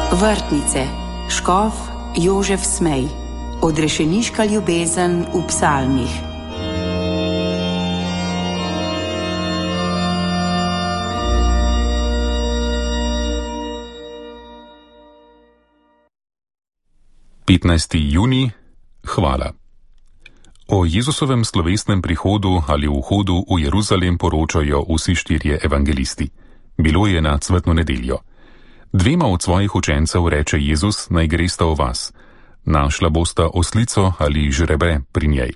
Vrtnice, škof Jožef Smej, odrešeniška ljubezen v psalmih. Junij, hvala. O Jezusovem slovesnem prihodu ali vhodu v Jeruzalem poročajo vsi štirje evangelisti. Bilo je na cvetno nedeljo. Dvema od svojih učencev reče Jezus, naj gresta v vas. Našla bosta oslico ali žrebre pri njej.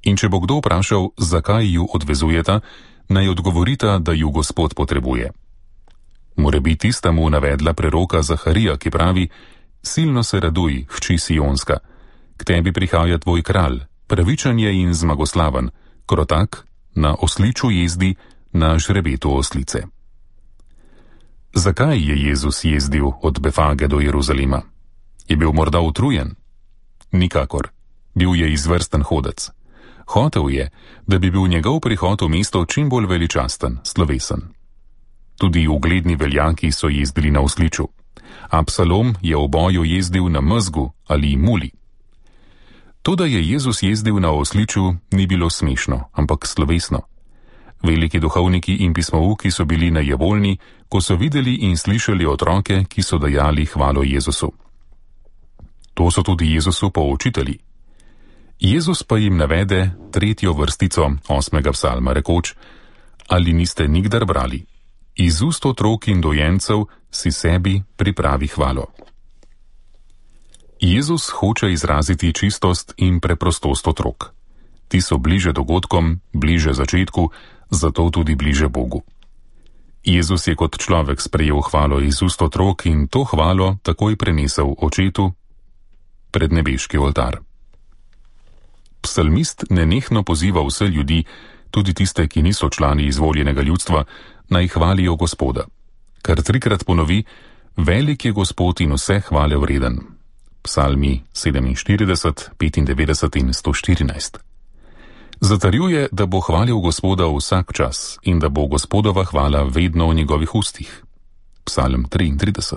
In če bo kdo vprašal, zakaj ju odvezujeta, naj odgovorita, da ju Gospod potrebuje. Morebiti sta mu navedla preroka Zaharija, ki pravi: silno se raduj, hči Sionska, k tebi prihaja tvoj kralj, pravičen je in zmagoslaven, krotak, na osliču jezdi, na žrebetu oslice. Zakaj je Jezus jezdil od Befage do Jeruzalema? Je bil morda utrujen? Nikakor. Bil je izvrsten hodec. Hotel je, da bi bil njegov prihod v mesto čim bolj veličasten, slovesen. Tudi ugledni veljaki so jezdili na osliču. Absalom je v boju jezdil na mezgu ali muli. To, da je Jezus jezdil na osliču, ni bilo smešno, ampak slovesno. Veliki duhovniki in pismouki so bili najevoljni, ko so videli in slišali otroke, ki so dajali hvalo Jezusu. To so tudi Jezusu poučitelji. Jezus pa jim navede tretjo vrstico 8. psalma, rekoč: ali niste nikdar brali? Iz ust otrok in dojencev si sebi pripravi hvalo. Jezus hoče izraziti čistost in preprostost otrok. Ti so bliže dogodkom, bliže začetku, zato tudi bliže Bogu. Jezus je kot človek sprejel hvalo iz ust otrok in to hvalo takoj prenesel očetu pred nebeški oltar. Psalmist nenehno poziva vse ljudi, tudi tiste, ki niso člani izvoljenega ljudstva, naj hvalijo Gospoda. Kar trikrat ponovi: velik je Gospod in vse hvale vreden. Psalmi 47, 95 in 114. Zatrjuje, da bo hvalil Gospoda vsak čas in da bo Gospodova hvala vedno v njegovih ustih. Psalm 33.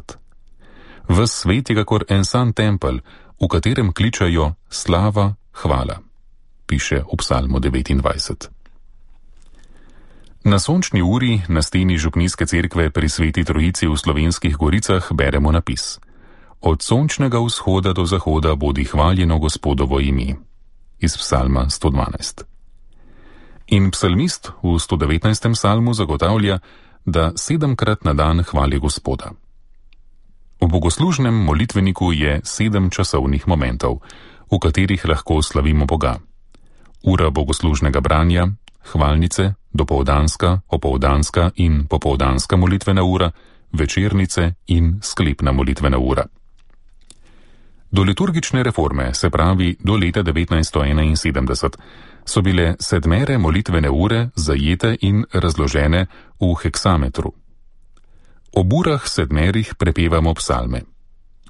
Ves svet je kakor en sam tempelj, v katerem kličajo slava, hvala, piše v Psalmu 29. Na sončni uri na steni župnijske cerkve pri Sveti Trojici v Slovenskih Goricah beremo napis: od sončnega vzhoda do zahoda bodi hvaljeno Gospodovo ime, iz Psalma 112. In psalmist v 119. psalmu zagotavlja, da 7-krat na dan hvali Gospoda. V bogoslužnem molitveniku je 7 časovnih momentov, v katerih lahko slavimo Boga. Ura bogoslužnega branja, hvalnice, dopoldanska, opoldanska in popoldanska molitvena ura, večernice in sklepna molitvena ura. Do liturgične reforme, se pravi do leta 1971, so bile 7 molitvene ure zajete in razložene v heksametru. Ob urah 7 prepevamo psalme.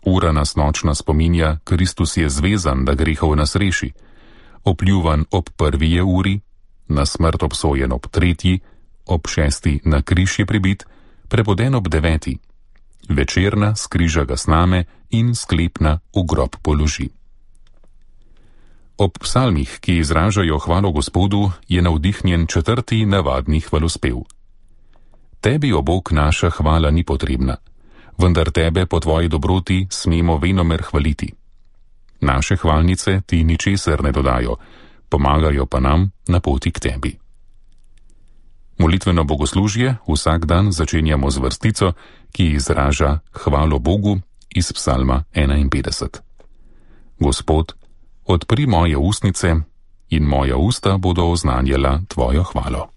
Ura nas nočna spominja: Kristus je zvezan, da grehov nas reši. Opljuvan ob 1. uri, na smrt obsojen ob 3., ob 6. na križ je pribit, preboden ob 9., večerna skriža ga sname in sklepna v grob položi. Ob psalmih, ki izražajo hvalo Gospodu, je navdihnjen 4. navadni hvalospev. Tebi, o Bog, naša hvala ni potrebna, vendar tebe po tvoji dobroti smemo venomer hvaliti. Naše hvalnice ti ničesar ne dodajo, pomagajo pa nam na poti k tebi. Molitveno bogoslužje vsak dan začenjamo z vrstico, ki izraža hvalo Bogu iz Psalma 51. Gospod, odpri moje ustnice in moja usta bodo oznanjala tvojo hvalo.